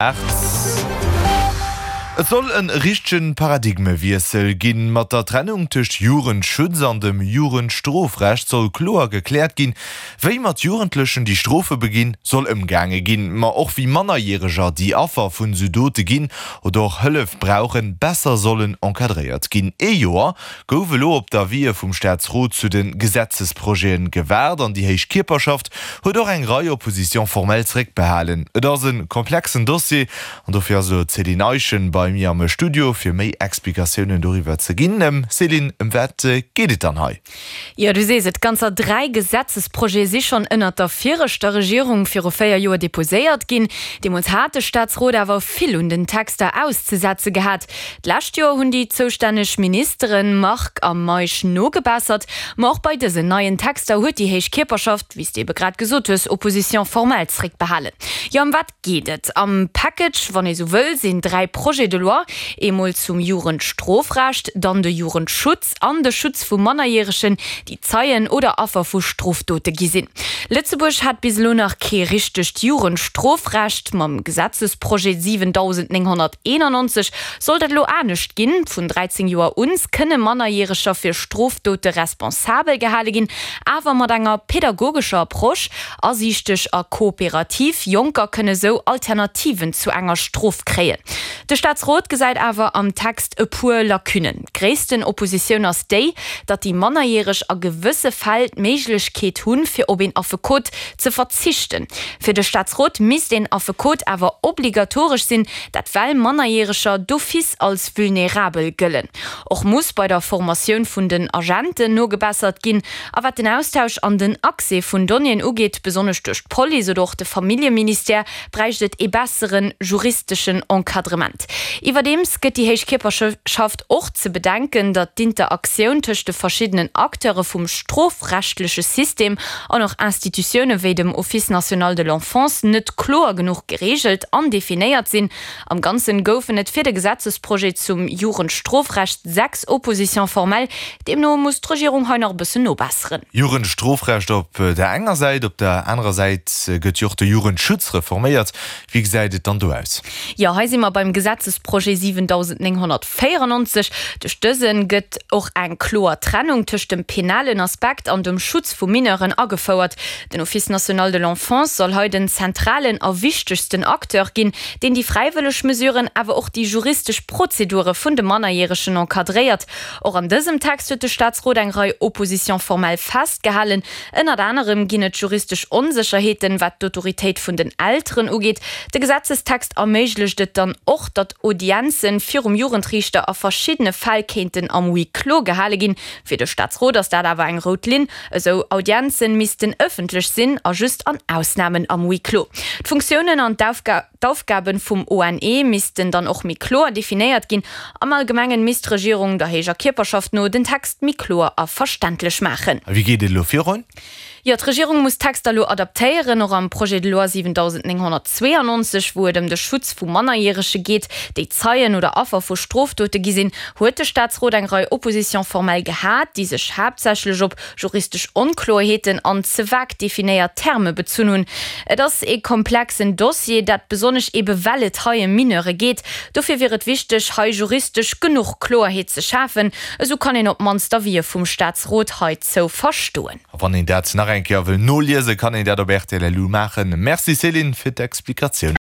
8. Et soll e richtege Paradigmewiessel ginn. Mat der Trennung tëscht Jugendschutz an dem Jugendstrofrecht soll kloer gekläert ginn, wéi mat Jugendlechen, déi Strofe beginn, soll ëmgaange ginn. Ma och wéi Mannerjäreger, déi Affer vun esou Dote ginn oder och Hëllef brauchen, besser sollen encadréiert ginn. Ee Joer gouf elo op d'Avisë vum Staatsrot zu de Gesetzesprojete gewaart an déi héich Kierperschaft huet och eng Rei Oppositions formelles zeréckbehalen. Et ass e komplexen Dossier an dofir ass elo d'Céline Eischen bei mir am Studio, fir méi Explikatiounen doriwwer ze ginn. Céline, ëm wat geet et dann hei? Jo, du sees et, ganzer 3 Gesetzesprojete si schonn ënnert der viregter Regierung viru 4 Joer deposéiert ginn. Deemools hat de Staatsrot awer vill un den Texter auszesetze gehat. D'lescht Joer hunn déi zoustänneg Ministeren Margue a Meisch nogebessert. Ma och bei dësen neien Texter huet déi héich Kierperschaft, wéi s de ebe grad gesot hues, Opposition formelle zréckbehalen. Jo, ëm wat geet et am Package, wann ee sou wëll, sinn 3 Projets de loi, eemol zum Jugendstrofrecht, dann de Jugendschutz an de Schutz vu Mannerjäregen, déi Zeien oder Affer vu Strofdote gi sinn. Lëtzebuerg hat bis elo nach kee richtegt Jugendstrofrecht. Mam Gesetzesprojet 7991 soll dat elo anescht ginn. Vun 13 Joer un kënne Mannerjäreger fir Strofdote responsabel gehale ginn, awer mat enger pedagogescher Approche, asiichteg a kooperativ. Jonker kënne sou Alternativen zu enger Strof kréien. De Staatsrot gesäit awer am Text e puer Lacunnen. D'gréissten Oppositioun ass déi, datt déi Mannerjäreg a gewësse Fäll d'Méiglechkeet hunn, fir op een Affekot ze verzichten. Fir de Staatsrot misst een Affekot awer obligatoresch sinn, dat well Mannerjäreger d'office als vulnerabel gëllen. Och muss bei der Formatioun vun den Agenten nogebessert ginn. A wat den Austausch an den Accès vun Donnéeën ugeet, besonnesch duerch d'Police oder och de Familljeministère, bräicht et ee bessere juristeschen Encadrement. Iwwerdeems gëtt déi héich Kierperschaft och ze bedenken, datt d'Interaktioun tëscht de verschiddenen Acteure vum strofrechtleche System an och Institutioune wéi dem Office national de l'enfance net kloer genuch gereegelt an definéiert sinn. Am Ganzen goufen et fir de Gesetzesprojet zum Jugendstrofrecht 6 Oppositions formelles. Deemno muss d'Regierung hei nach e bëssen nobesseren. Jugendstrofrecht op der enger Säit, op der anerer Säit gëtt jo och de Jugendschutz reforméiert. Wéi gesäit et dann do aus? Jo, hei si mer beim Gesetzesprojet 7994. Duerch dëse gëtt och eng kloer Trennung tëscht dem penalen Aspekt an dem Schutz vu Mineuren agefouert. Den Office national de l'enfance soll hei den zentralen a wichtegsten Acteur ginn, deen déi fräiwëlleg Mesuren, awer och déi juristesch Prozedure vun de Mannerjäregen encadréiert. Och an dësem Text huet de Staatsrot eng Rei Oppositions formelles festgehalen. Ënnert anerem ginn et juristesch Onsécherheeten, wat d'Autoritéit vun den Elteren ugeet. De Gesetzestext erméiglecht et dann och, datt Audienze virum Jugendriichter a verschiddene Fäll kéinten am Huis clos gehale ginn. Fir de Staatsrot ass dat awer eng rout Linn. Esou Audienze missten ëffentlech sinn a just an Ausnamen am Huis clos. D'Funktiounen an d'Aufgaben vum ONE missten dann och méi kloer definéiert ginn. Am Allgemengen misst d'Regierung der héijer Kierperschaft no den Text méi kloer a verständlech maachen. A wéi geet et elo virun? Jo, d'Regierung muss d'Texter elo adaptéieren. Och am Projet de loi 7992, wou et ëm de Schutz vu Mannerjärege geet, déi Zeien oder Affer vu Strofdote gi sinn, huet de Staatsrot eng Rei Oppositions formelles gehat, déi sech haaptsächlech op juristesch Onkloerheeten an ze vag definéiert Terme bezunn hunn. Et ass ee komplexen Dossier, dat besonnesch ebe well et hei ëm Mineure geet. Dofir wier et wichteg, hei juristesch genuch Kloerheet ze schafen. Esou kann een op d'mannst d'Avisë vum Staatsrot heizou verstoen. A wann een dat nach eng Kéier wëll noliesen, kann een dat op rtl.lu maachen. Merci Céline fir d'Explikatiounen.